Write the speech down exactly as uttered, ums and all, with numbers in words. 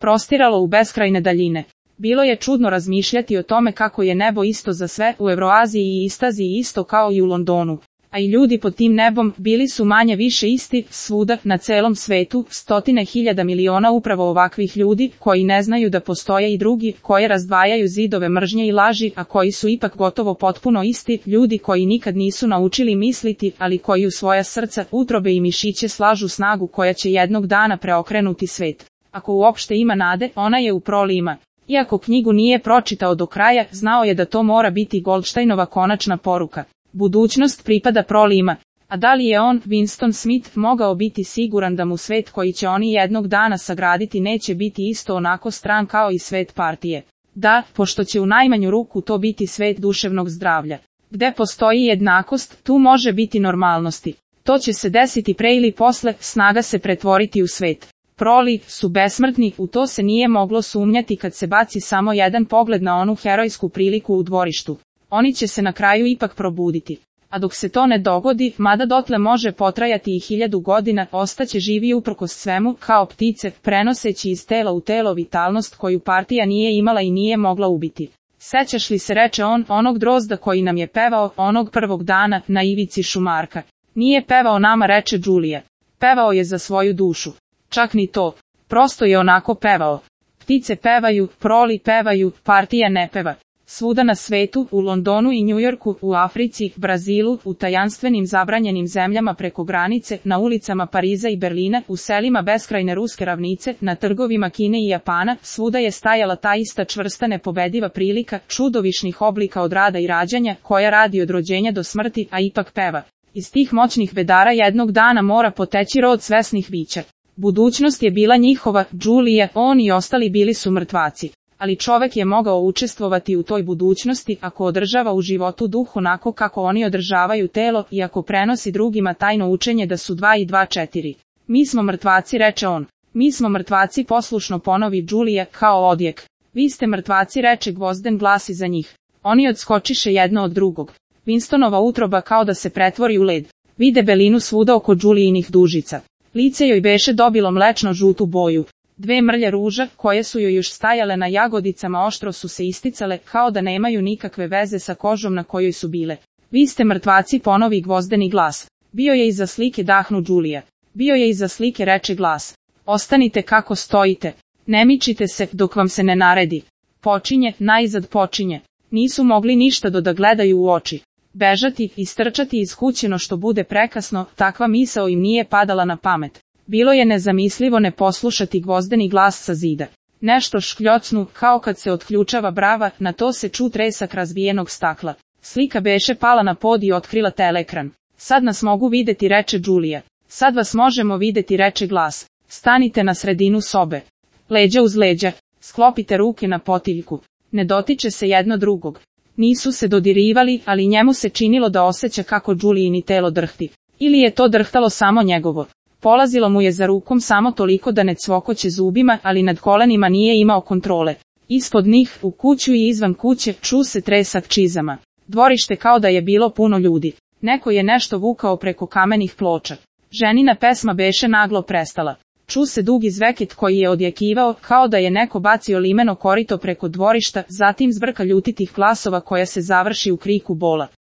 prostiralo u beskrajne daljine. Bilo je čudno razmišljati o tome kako je nebo isto za sve, u Evroaziji i Istaziji isto kao i u Londonu. A i ljudi pod tim nebom bili su manje više isti, svuda, na celom svetu, stotine hiljada miliona upravo ovakvih ljudi, koji ne znaju da postoje i drugi, koje razdvajaju zidove mržnje i laži, a koji su ipak gotovo potpuno isti, ljudi koji nikad nisu naučili misliti, ali koji u svoja srca, utrobe i mišiće slažu snagu koja će jednog dana preokrenuti svet. Ako uopšte ima nade, ona je u prolima. Iako knjigu nije pročitao do kraja, znao je da to mora biti Goldsteinova konačna poruka. Budućnost pripada prolima. A da li je on, Winston Smith, mogao biti siguran da mu svet koji će oni jednog dana sagraditi neće biti isto onako stran kao i svet partije? Da, pošto će u najmanju ruku to biti svet duševnog zdravlja. Gde postoji jednakost, tu može biti normalnosti. To će se desiti pre ili posle, snaga se pretvoriti u svet. Proli su besmrtni, u to se nije moglo sumnjati kad se baci samo jedan pogled na onu herojsku priliku u dvorištu. Oni će se na kraju ipak probuditi. A dok se to ne dogodi, mada dotle može potrajati i hiljadu godina, ostaće živi uprkos svemu, kao ptice, prenoseći iz tela u telo vitalnost koju partija nije imala i nije mogla ubiti. Sećaš li se, reče on, onog drozda koji nam je pevao, onog prvog dana, na ivici šumarka? Nije pevao nama, reče Đulija. Pevao je za svoju dušu. Čak ni to. Prosto je onako pevao. Ptice pevaju, proli pevaju, partija ne peva. Svuda na svetu, u Londonu i Njujorku, u Africi, Brazilu, u tajanstvenim zabranjenim zemljama preko granice, na ulicama Pariza i Berlina, u selima beskrajne ruske ravnice, na trgovima Kine i Japana, svuda je stajala ta ista čvrsta nepobediva prilika, čudovišnih oblika od rada i rađanja, koja radi od rođenja do smrti, a ipak peva. Iz tih moćnih bedara jednog dana mora poteći rod svesnih bića. Budućnost je bila njihova, Đulija, on i ostali bili su mrtvaci. Ali čovek je mogao učestvovati u toj budućnosti ako održava u životu duh onako kako oni održavaju telo i ako prenosi drugima tajno učenje da su dva i dva četiri. Mi smo mrtvaci, reče on. Mi smo mrtvaci, poslušno ponovi Đulija, kao odjek. Vi ste mrtvaci, reče Gvozden glas iza njih. Oni odskočiše jedno od drugog. Winstonova utroba kao da se pretvori u led. Vide belinu svuda oko Đulijinih dužica. Lice joj beše dobilo mlečno žutu boju. Dve mrlje ruža, koje su joj još stajale na jagodicama, oštro su se isticale, kao da nemaju nikakve veze sa kožom na kojoj su bile. Vi ste mrtvaci, ponovi Gvozdeni glas. Bio je iza slike, dahnu Đulija. Bio je iza slike, reče glas. Ostanite kako stojite. Ne mičite se, dok vam se ne naredi. Počinje, najzad počinje. Nisu mogli ništa do da gledaju u oči. Bežati, istrčati iz kuće no što bude prekasno, takva misao im nije padala na pamet. Bilo je nezamislivo ne poslušati Gvozdeni glas sa zida. Nešto škljocnu, kao kad se otključava brava, na to se ču tresak razbijenog stakla. Slika beše pala na pod i otkrila teleekran. Sad nas mogu videti, reče Đulija. Sad vas možemo videti, reče glas. Stanite na sredinu sobe. Leđa uz leđa. Sklopite ruke na potiljku. Ne dotiče se jedno drugog. Nisu se dodirivali, ali njemu se činilo da osjeća kako Đulijini telo drhti. Ili je to drhtalo samo njegovo. Polazilo mu je za rukom samo toliko da ne cvokoće zubima, ali nad kolenima nije imao kontrole. Ispod njih, u kuću i izvan kuće, ču se tresak čizama. Dvorište kao da je bilo puno ljudi. Neko je nešto vukao preko kamenih ploča. Ženina pesma beše naglo prestala. Ču se dugi zveket koji je odjekivao, kao da je neko bacio limeno korito preko dvorišta, zatim zbrka ljutitih glasova koja se završi u kriku bola.